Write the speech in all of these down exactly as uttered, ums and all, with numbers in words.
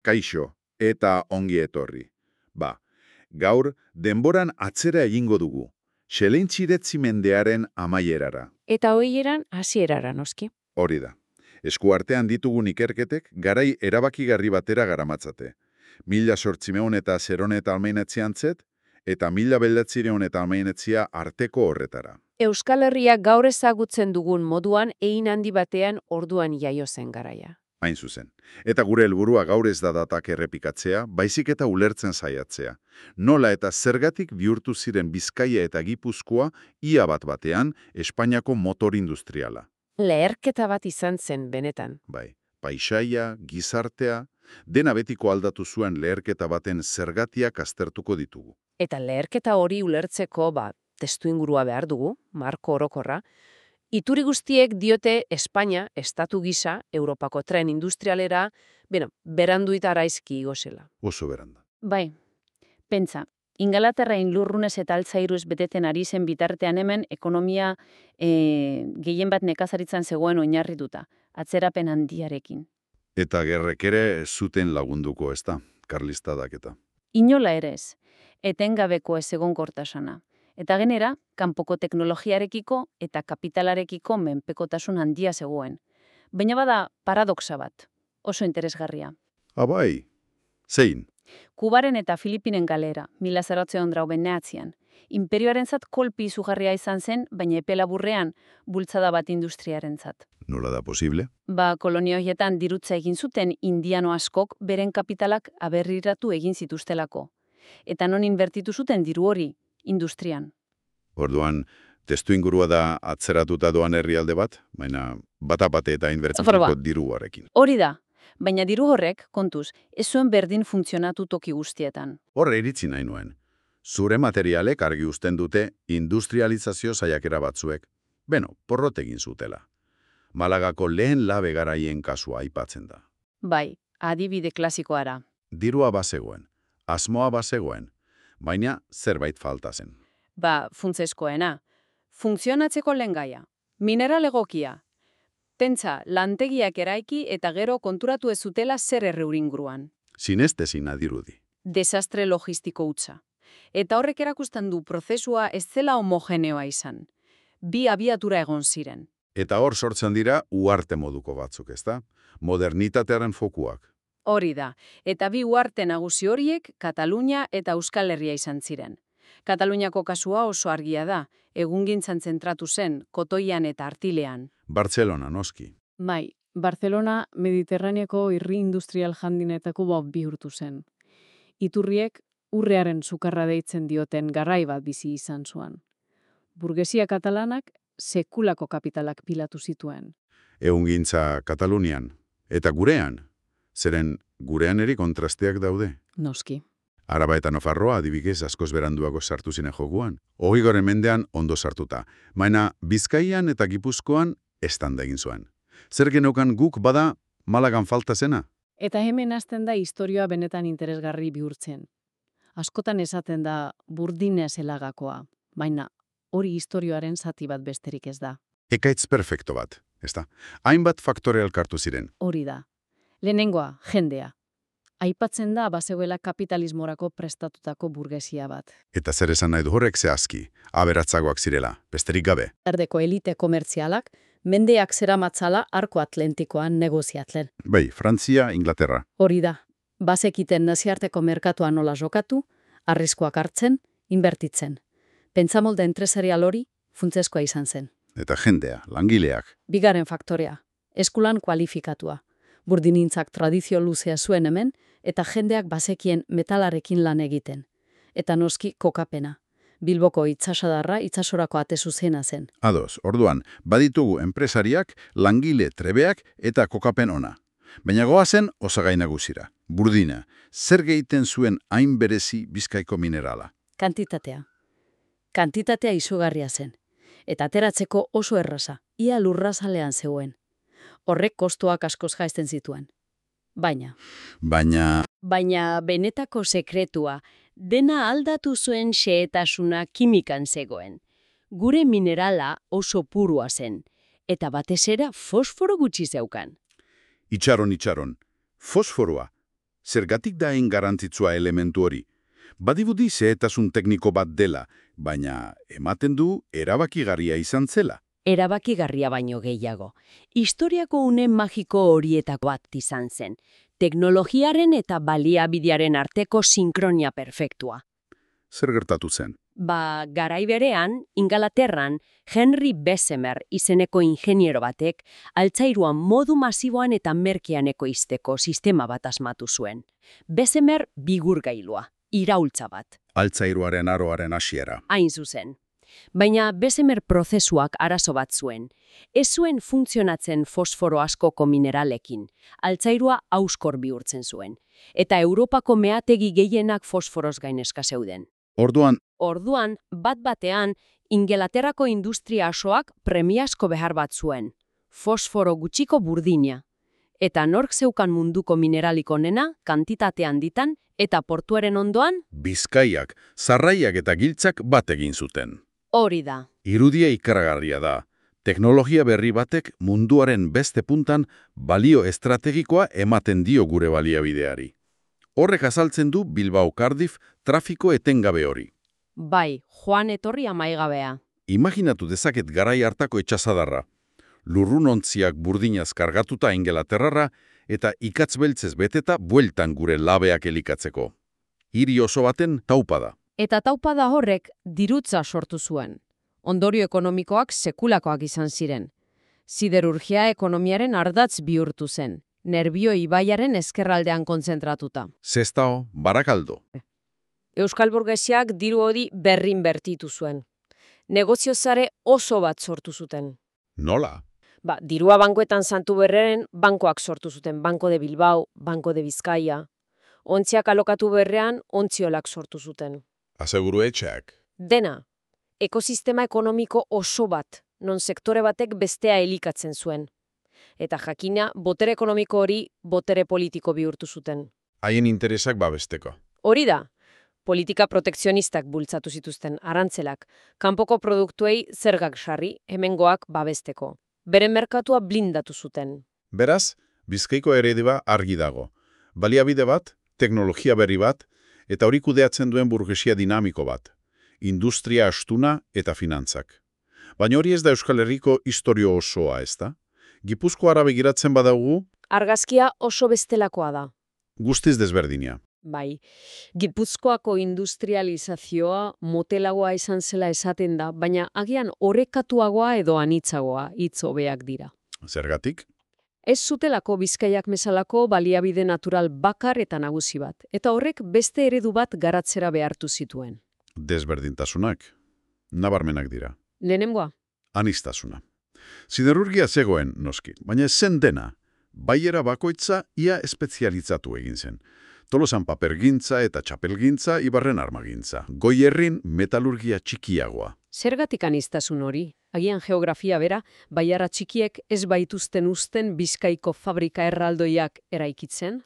Kaixo, eta ongi etorri. Ba, gaur denboran atzera egingo dugu, xelentxiretzi mendearen amaierara. Eta hoieran hasierara noski. Hori da. Eskuartean ditugun ikerketek garai erabakigarri batera garamatzate. Mila sortzimeun eta zeron eta almeinetzian zet, eta mila belatzireun eta almeinetzia arteko horretara. Euskal Herria gaur ezagutzen dugun moduan egin handi batean orduan jaio zen garaia. Hain zuzen. Eta gure helburua gaur ez da datak errepikatzea, baizik eta ulertzen saiatzea. Nola eta zergatik bihurtu ziren Bizkaia eta Gipuzkoa ia bat batean Espainiako motor industriala. Leherketa bat izan zen benetan. Bai, paisaia, gizartea, dena betiko aldatu zuen leherketa baten zergatiak aztertuko ditugu. Eta leherketa hori ulertzeko, ba, testuingurua behar dugu, marko orokorra. Ituri guztiek diote Espainia, estatu gisa, Europako tren industrialera, bueno, beranduita araizki igozela. Oso beranda. Bai, pentsa, Ingalaterrain lurrunez eta altzairuz beteten ari zen bitartean hemen ekonomia e, gehien bat nekazaritzan zegoen oinarrituta, atzerapen handiarekin. Eta gerrek ere ez zuten lagunduko, ez da, karlistadak eta. Inola ere ez, etengabeko ez egonkortasuna. Eta genera, kanpoko teknologiarekiko eta kapitalarekiko menpekotasun handia zegoen. Baina bada paradoxa bat, oso interesgarria. Abai, zein? Kubaren eta Filipinen galera, mila zaratzen drauben neatzian. Imperioarentzat kolpi izugarria izan zen, baina epe laburrean bultzada bat industriarentzat. Nola da posible? Ba, kolonia horietan dirutza egin zuten indiano askok beren kapitalak aberriratu egin zituztelako. Eta non inbertitu zuten diru hori, industrian. Orduan, testu ingurua da atzeratuta doan herrialde bat, baina batapate eta inbertituko diruarekin. Hori da, baina diru horrek, kontuz, ez zuen berdin funtzionatu toki guztietan. Horre iritzi nahi nuen. Zure materialek argi uzten dute industrializazio saiakera batzuek, beno, porrot egin zutela. Malagako lehen labe garaien kasua aipatzen da. Bai, adibide klasikoara. Dirua bazegoen, asmoa bazegoen, baina zerbait falta zen. Ba, funtzeskoena. Funtzionatzeko lehengaia. Mineral egokia. Pentsa, lantegiak eraiki eta gero konturatu ez zutela zer erreuringuruan. Sinestezin adirudi. Desastre logistiko hutsa. Eta horrek erakusten du prozesua ez zela homogeneoa izan. Bi abiatura egon ziren. Eta hor sortzen dira uarte moduko batzuk, ezta? Modernitatearen fokuak. Hori da, eta bi uarte nagusi horiek Katalunia eta Euskal Herria izan ziren. Kataluniako kasua oso argia da, egungintzan zentratu zen, kotoian eta artilean. Bartzelona, noski. Bai, Barcelona Mediterraneako irri industrial handinetako bat bihurtu zen. Iturriek urrearen sukarra deitzen dioten garai bat bizi izan zuen. Burgesia katalanak sekulako kapitalak pilatu zituen. Egungintza Katalunian, eta gurean, zeren gurean eri kontrasteak daude. Noski. Araba eta Nafarroa adibidez askoz beranduago sartu ziren joguan. Hogeigarren mendean ondo sartuta. Baina Bizkaian eta Gipuzkoan estanda egin zuen. Zer geneukan guk bada Malagan falta zena? Eta hemen hasten da historioa benetan interesgarri bihurtzen. Askotan esaten da burdine zelagakoa, baina hori historioaren zati bat besterik ez da. Ekaitz perfecto bat, ezta? Hainbat faktore elkartu ziren. Hori da. Lehenengoa, jendea. Aipatzen da bazegoela kapitalismorako prestatutako burgesia bat. Eta zer esan nahi du horrek zehazki, aberatzagoak zirela, besterik gabe. Erdeko elite komertzialak, mendeak zeramatzala arko atlantikoan negoziatlen. Bai, Frantzia, Inglaterra. Hori da. Bazekiten naziarteko merkatua nola jokatu, arriskoak hartzen, inbertitzen. Pentsamolde entresarial hori funtzeskoa izan zen. Eta jendea, langileak. Bigarren faktorea, eskulan kualifikatua. Burdinintzak tradizio luzea zuen hemen, eta jendeak bazekien metalarekin lan egiten. Eta noski kokapena. Bilboko itsasadarra itsasorako ate zuzena zen. Ados, orduan, baditugu enpresariak, langile trebeak eta kokapen ona. Baina goazen osagai nagusira. Burdina, zer gehiten zuen hain berezi Bizkaiko minerala? Kantitatea. Kantitatea izugarria zen. Eta ateratzeko oso erraza, ia lurrazalean zegoen. Horrek kostuak askoz jaisten zituen. Baina. Baina. Baina benetako sekretua, dena aldatu zuen xehetasuna kimikan zegoen. Gure minerala oso purua zen, eta batez ere fosforo gutxi zeukan. Itxaron, itxaron. Fosforoa. Zergatik da hain garrantzitsua elementu hori? Badirudi xehetasun tekniko bat dela, baina ematen du erabakigarria izan zela. Erabakigarria baino gehiago. Historiako une magiko horietako bat izan zen. Teknologiaren eta baliabidearen arteko sinkronia perfektua. Zer gertatu zen? Ba, garai berean, Ingalaterran, Henry Bessemer izeneko ingeniero batek, altzairuan modu masiboan eta merkean ekoizteko sistema bat asmatu zuen. Bessemer bigurgailua, iraultza bat. Altzairuaren aroaren hasiera. Hain zuzen. Baina Bessemer prozesuak arazo bat zuen. Ez zuen funtzionatzen fosforo askoko mineralekin. Altzairua auskor bihurtzen zuen. Eta Europako meategi gehienak fosforoz gainezka zeuden. Orduan, Orduan, bat-batean, Ingalaterrako industria asoak premiazko behar bat zuen. Fosforo gutxiko burdina. Eta nork zeukan munduko mineralik onena, kantitate handitan, eta portuaren ondoan, Bizkaiak, Sarraiak eta Giltzak bat egin zuten. hori da. Irudia ikaragarria da. Teknologia berri batek munduaren beste puntan balio estrategikoa ematen dio gure baliabideari. Horrek azaltzen du Bilbao Cardiff trafiko etengabe hori. Bai, joan etorri amaigabea. Imaginatu dezaket garai hartako etxasadarra. Lurrunontziak burdinaz kargatuta Ingalaterrara eta ikatz beltzez beteta bueltan gure labeak elikatzeko. Hiri oso baten taupada. Eta taupada horrek dirutza sortu zuen. Ondorio ekonomikoak sekulakoak izan ziren. Siderurgia ekonomiaren ardatz bihurtu zen. Nerbio ibaiaren ezkerraldean kontzentratuta. Sestao, Barakaldo. Euskal burgesiak diru hori berrin bertitu zuen. Negoziozare oso bat sortu zuten. Nola? Ba, dirua bankoetan Santu Berreren bankoak sortu zuten. Banko de Bilbao, Banko de Bizkaia. Ontziak alokatu berrean, ontziolak sortu zuten. Aseguru etxeak. Dena, ekosistema ekonomiko oso bat, non sektore batek bestea elikatzen zuen. Eta jakina, botere ekonomiko hori botere politiko bihurtu zuten. Haien interesak babesteko. Hori da, politika protekzionistak bultzatu zituzten arantzelak, kanpoko produktuei zergak sarri, hemengoak babesteko. Beren merkatua blindatu zuten. Beraz, Bizkaiko eredua argi dago. Baliabide bat, teknologia berri bat, eta hori kudeatzen duen burgesia dinamiko bat. Industria astuna eta finantzak. Baina hori ez da Euskal Herriko historio osoa, ez da? Gipuzkoara begiratzen badaugu, Argazkia oso bestelakoa da. guztiz desberdina. Bai, Gipuzkoako industrializazioa motelagoa izan zela esaten da, baina agian orekatuagoa edo anitzagoa hitz hobeak dira. Zergatik? Ez zutelako Bizkaiak bezalako baliabide natural bakar eta nagusi bat, eta horrek beste eredu bat garatzera behartu zituen. Desberdintasunak. Nabarmenak dira. Lehenengoa, Anistasuna. Siderurgia zegoen, noski, baina ez zen dena. Baiera bakoitza ia espezializatu egin zen. Tolosan papergintza eta txapelgintza, Ibarren armagintza. Goierrin metalurgia txikiagoa. zergatik aniztasun hori? Agian geografia bera, baiara txikiek ez baituzten uzten Bizkaiko fabrika erraldoiak eraikitzen?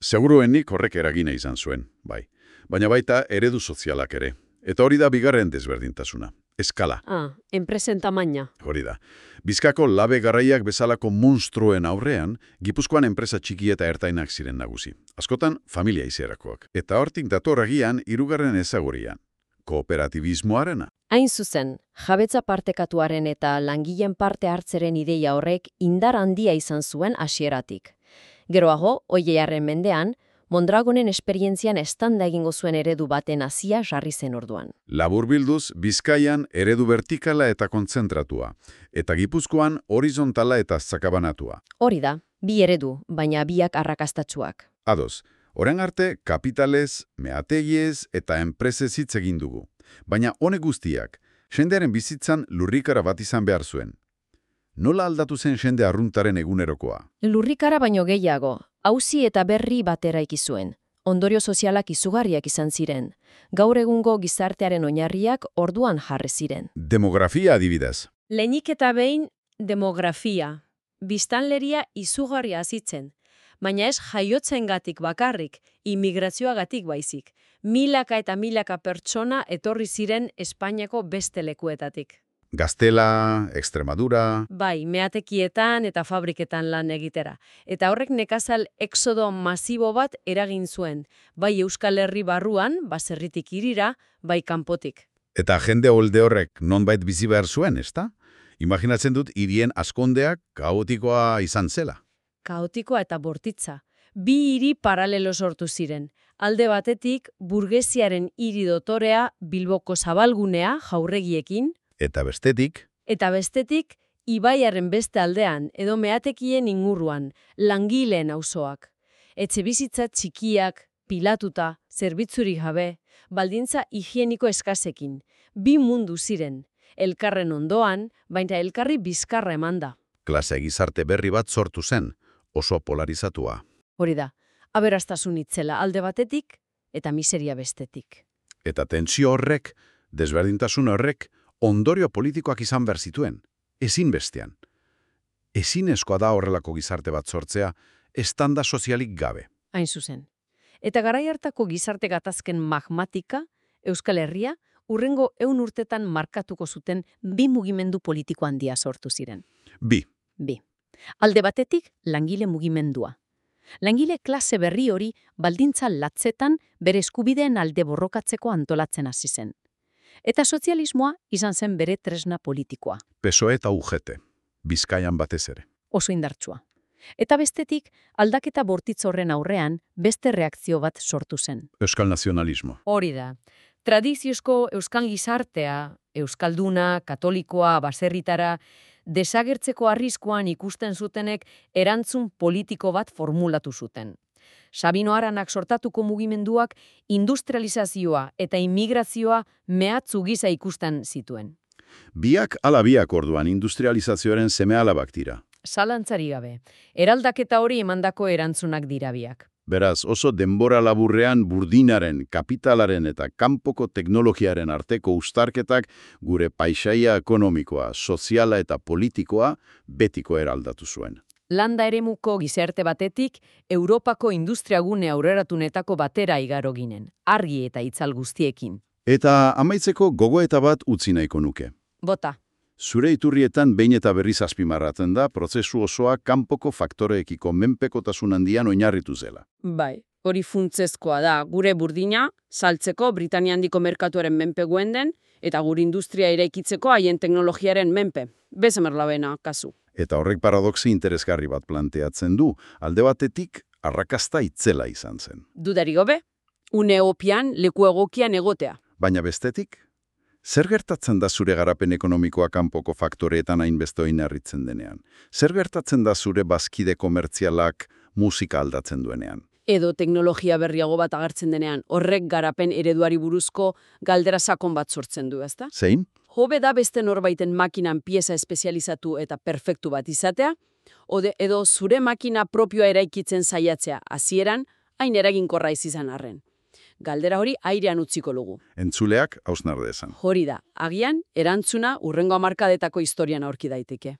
Seguruenik horrek eragina izan zuen, bai. Baina baita eredu sozialak ere. Eta hori da bigarren desberdintasuna. Eskala, Ah, enpresen tamaina. hori da. Bizkako labe garraiak bezalako monstruen aurrean, Gipuzkoan enpresa txiki eta ertainak ziren nagusi. Askotan, familia izerakoak. Eta hortik dator agian hirugarren ezagurian. Kooperatibismoarena. Hain zuzen, jabetza partekatuaren eta langileen parte hartzeren ideia horrek indar handia izan zuen hasieratik. Geroago, Oilearren mendean, Mondragonen esperientzian estanda egingo zuen eredu baten hasia jarri zen orduan. Laburbilduz, Bizkaian eredu vertikala eta kontzentratua, eta Gipuzkoan horizontala eta zakabanatua. Hori da, bi eredu, baina biak arrakastatsuak. Ados, orain arte kapitalez, meategiez eta enpresez hitz egin dugu. Baina honek guztiak, jendearen bizitzan lurrikara bat izan behar zuen. Nola aldatu zen jende arruntaren egunerokoa? Lurrikara baino gehiago, auzi eta berri batera ikizuen. Ondorio sozialak izugarriak izan ziren. Gaur egungo gizartearen oinarriak orduan jarri ziren. Demografia adibidez. Lehenik eta behin, demografia. Biztanleria izugarria hazitzen. Baina ez jaiotzengatik bakarrik, immigrazioagatik baizik. Milaka eta milaka pertsona etorri ziren Espainiako beste lekuetatik. Gaztela, Extremadura... Bai, meatekietan eta fabriketan lan egitera. Eta horrek nekazal exodo masibo bat eragin zuen, bai Euskal Herri barruan, baserritik hirira, bai kanpotik. Eta jende holde horrek nonbait bizi behar zuen, ezta? Imaginatzen dut hirien askondeak kaotikoa izan zela. Kaotikoa eta bortitza. Bi hiri paralelo sortu ziren. Alde batetik, burgesiaren hiri dotorea Bilboko zabalgunea jaurregiekin, Eta bestetik, eta bestetik, ibaiaren beste aldean, edo meatekien inguruan, langileen auzoak. Etxebizitza txikiak, pilatuta, zerbitzurik gabe, baldintza higieniko eskasekin. Bi mundu ziren, elkarren ondoan, baina elkarri bizkarra emanda. klase gizarte berri bat sortu zen, oso polarizatua. Hori da, aberastasun itzela alde batetik eta miseria bestetik. Eta tentsio horrek, desberdintasun horrek, ondorio politikoak izan behar zituen, ezin bestean. Ezinezkoa da horrelako gizarte bat sortzea, estanda sozialik gabe. Hain zuzen. Eta garai hartako gizarte gatazken magmatika, Euskal Herria, urrengo ehun urtetan markatuko zuten bi mugimendu politiko handia sortu ziren. Bi, Bi. Alde batetik, langile mugimendua. Langile klase berri hori baldintza latzetan bere eskubideen alde borrokatzeko antolatzen hasi zen. Eta sozialismoa izan zen bere tresna politikoa, P S O E eta U G T, Bizkaian batez ere. oso indartsua. Eta bestetik, aldaketa bortitz horren aurrean beste reakzio bat sortu zen. Euskal nazionalismo. Hori da. Tradiziozko euskan gizartea, euskalduna, katolikoa, baserritara, desagertzeko arriskuan ikusten zutenek erantzun politiko bat formulatu zuten. Sabino Aranak sortatuko mugimenduak industrializazioa eta immigrazioa mehatzu gisa ikusten zituen. Biak ala biak orduan industrializazioaren seme-alabak dira. Zalantzari gabe, eraldaketa hori emandako erantzunak dira biak. Beraz, oso denbora laburrean burdinaren, kapitalaren eta kanpoko teknologiaren arteko uztarketak gure paisaia ekonomikoa, soziala eta politikoa betiko eraldatu zuen. Landa eremuko gizarte batetik, Europako industriagune aurreratunetako batera igaro ginen, argi eta itzal guztiekin. Eta amaitzeko gogoeta bat utzi nahiko nuke. Bota, Zure iturrietan behin eta berriz azpimarratzen da prozesu osoa kanpoko faktoreekiko menpekotasun handian oinarritu zela. bai, hori funtsezkoa da, gure burdina, saltzeko Britania handiko merkatuaren menpe den, eta gure industria eraikitzeko haien teknologiaren menpe. Bezemerlabena, kasu. Eta horrek paradoxi interesgarri bat planteatzen du, alde batetik arrakasta itzela izan zen. Dudari gobe, une opian leku egokian egotea. Baina bestetik, zer gertatzen da zure garapen ekonomikoa kanpoko faktoreetan hainbeste oinarritzen denean? Zer gertatzen da zure bazkide komertzialak musika aldatzen duenean? Edo teknologia berriago bat agertzen denean, horrek garapen ereduari buruzko galdera sakon bat sortzen du, ezta? Zein? Hobe da beste norbaiten makinan pieza espezializatu eta perfektu bat izatea, ode edo zure makina propioa eraikitzen saiatzea hasieran hain eraginkorra ez izan arren. Galdera hori airean utziko lugu. Entzuleak hausnar dezan. Hori da, agian erantzuna hurrengo hamarkadetako historian aurki daiteke.